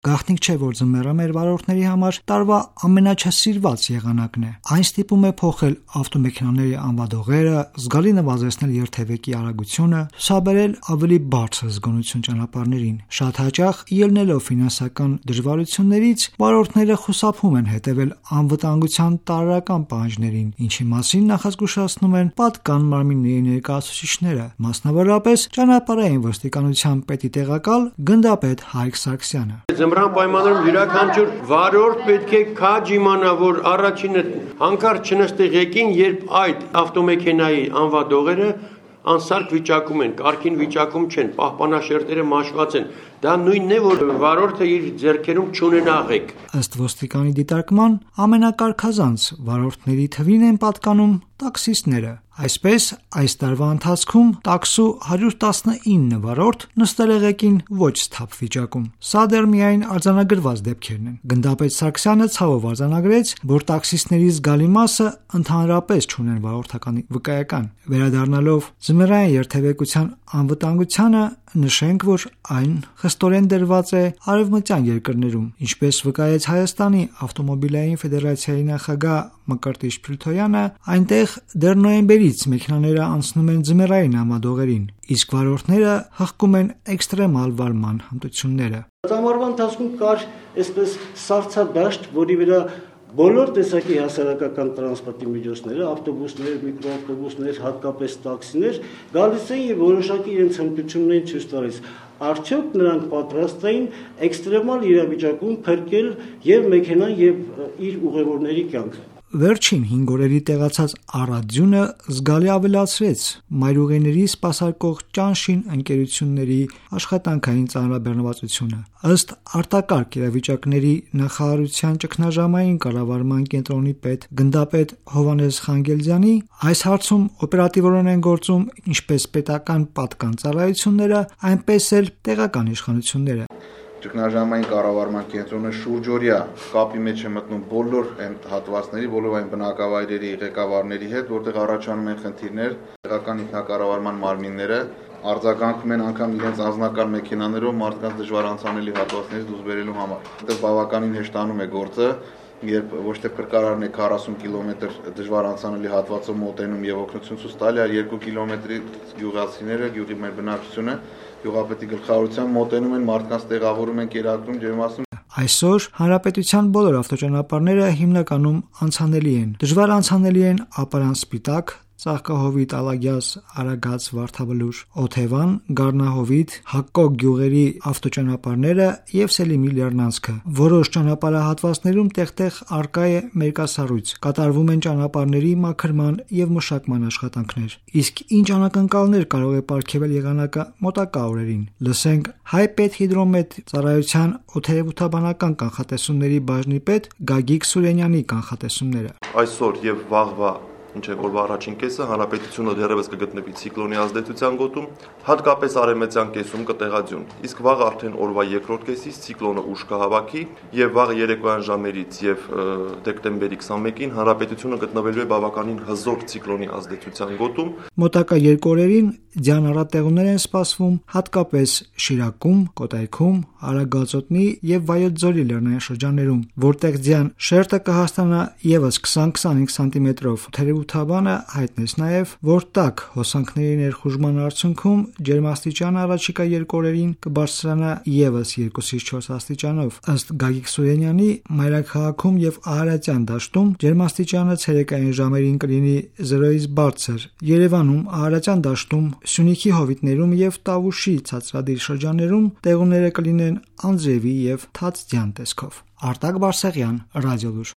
Գաղտնիք չէ, որ ձմեռը մեր վարորդների համար տարվա ամենաչսիրված եղանակն է։ Այն ստիպում է փոխել ավտոմեքենաների անվադողերը, զգալի նվազեցնել երթևեկի արագությունը, ցուցաբերել ավելի բարձր զգոնություն ճանապարհներին։ Շատ հաճախ, ելնելով ֆինանսական դժվարություններից, վարորդները խուսափում են հետևել անվտանգության տարրական պահանջներին, ինչի մասին նախազգուշացնում են պատկան մարմինների ներկայացուցիչները, մասնավորապես ճանապարհային ոստիկանության պետի տեղակալ գնդապետ Հայկ Սարգսյանը։ Ձմռան պայմաններում յուրաքանչյուր վարորդ պետք է քաջ իմանա, որ առաջինը հանկարծ չնստի ղեկին, երբ այդ ավտոմեքենայի անվադողերը անսարք վիճակում են, կարգին վիճակում չեն, պահպանաշերտերը մաշված են։ Դա նույնն է, որ վարորդը իր ձեռքերում չունենա ղեկ։ Ըստ ոստիկանի դիտարկման, ամենակարգազանց վարորդների թվին են պատկանում տաքսիստները։ Այսպես, այս տարվա ընթացքում տաքսու 119 վարորդ նստել է ղեկին ոչ սթափ վիճակում։ Սա դեռ միայն արձանագրված դեպքերն են։ Գնդապետ Սարգսյանը ցավով արձանագրեց, որ տաքսիստների զգալի մասը ընդհանրապես չունեն վարորդական վկայական։ Վերադառնալով ձմեռային երթևեկության անվտանգությանը, նշենք, որ այն խստորեն դրված է արևմտյան երկրներում, ինչպես վկայեց Հայաստանի ավտոմոբիլային ֆեդերացիայի նախագահ Մկրտիչ Փիլթոյանը, այնտեղ դեռ նոյեմբերից մեքենաները անցնում են ձմեռային անվադողերին, իսկ վարորդները հղկում են էքստրեմալ վարման հմտությունները։ Ամառվա ընթացքում կար այսպես սառցադաշտ, որի վրա բոլոր տեսակի հասարակական տրանսպորտի միջոցները, ավտոբուսներ, միկրոավտոբուսներ, հատկապես տաքսիներ, գալիս էին եւ որոշակի իրենց հմտությունն էին ցույց տալիս։ Արդյոք նրանք պատրաստ էին էքստրեմալ իրավիճակում փրկել եւ մեքենան եւ իր ուղևորների կյանքը։ Վերջին 5 օրերի տեղացած առատձյունը զգալի ավելացրեց մայրուղիների սպասարկող ճանշին ընկերությունների աշխատանքային ծանրաբեռնվածությունը։ Ըստ արտակարգ իրավիճակների նախարարության ճգնաժամային կառավարման կենտրոնի պետ գնդապետ Հովհաննես Խանգելձյանի, այս հարցում օպերատիվորեն են գործում ինչպես պետական պատկան ծառայությունները, այնպես էլ տեղական իշխանությունները։ Ճգնաժամային կառավարման կենտրոնը շուրջօրյա կապի մեջ է մտնում բոլոր այն հատվածների, բոլոր այն բնակավայրերի ղեկավարների հետ, որտեղ առաջանում են խնդիրներ, տեղական ինքնակառավարման մարմինները արձագանքում են անգամ իրենց անձնական մեքենաներով մարդկանց դժվար անցանելի հատվածներից դուրս բերելու համար։ Այդտեղ բավականին հեշտանում է գործը, երբ ոչ թե փրկարարն է 40 կիլոմետր դժվար անցանելի հատվածով մոտենում եւ օգնություն ցույց տալի, այլ 2 կիլոմետրի գյուղացիները, գյուղի մեր բնակչությունը գյուղապետի գլխավորությամբ մոտենում են, մարդկանց տեղավորում են, կերակրում, ջերմացնում։ Այսօր հանրապետության բոլոր ավտոճանապարհները հիմնականում անցանելի են։ Դժվար անցանելի են Ապարանսպիտակ, Ծաղկահովիտ, Ալագյաս, Արագած, Վարդաբլուր, Օթևան, Գառնահովիտ, Հակկոկ գյուղերի ավտոճանապարհները եւ Սելիմի լեռնանցքը։ Որոշ ճանապարհահատվածներում տեղ-տեղ արկա է մերկասառույց, կատարվում են ճանապարհների մաքրման եւ մշակման աշխատանքներ։ Իսկ ինչ անակնկալներ կարող է պարգևել եղանակը մոտակա օրերին։ Լսենք Հայպետհիդրոմետ ծառայության օդերևութաբանական կանխատեսումների բաժնի պետ Գագիկ Սուրենյանի կանխատեսումները։ Այսօր եւ վաղվա օրվա առաջին կեսը հանրապետությունը դեռևս կգտնվի ցիկլոնի ազդեցության գոտում, հատկապես արևմտյան կեսում կտեղածյուն։ Իսկ վաղ արդեն օրվա երկրորդ կեսից ցիկլոնը ուժ կհավաքի եւ վաղ երեկոյան ժամերից եւ դեկտեմբերի 21-ին հանրապետությունը գտնվելու է բավականին հզոր ցիկլոնի ազդեցության գոտում։ Մոտակա 2 օրերին ձյան առատեղումներ են սպասվում հատկապես Շիրակում, Կոտայքում, Արագածոտնի եւ Վայոց-Ձորի լեռնային շրջաններում, որտեղ ձյան շերտը կհասցնա եւս 20-25 սանտիմետրով։ Թերևութաբանը հայտնեց նաեւ, որ տաք հոսանքների ներխուժման արդյունքում ջերմաստիճանը առաջիկա 2 օրերին կբարձրանա եւս 2-ից 4 աստիճանով։ Ըստ Գագիկ Սուրենյանի, Մայրաքաղաքում եւ Ահարատյան դաշտում ջերմաստիճանը ցերեկային ժամերին կլինի 0-ից բարձր։ Երևանում, Ահարատյան դաշտում, Սյունիքի հովիտներում եւ Տավուշի ցածրադիր շրջաններում տեղումները կլինեն անձրևի եւ թաց ձյան տեսքով։ Արտակ Բարսեղյան, Ռադիոլուր։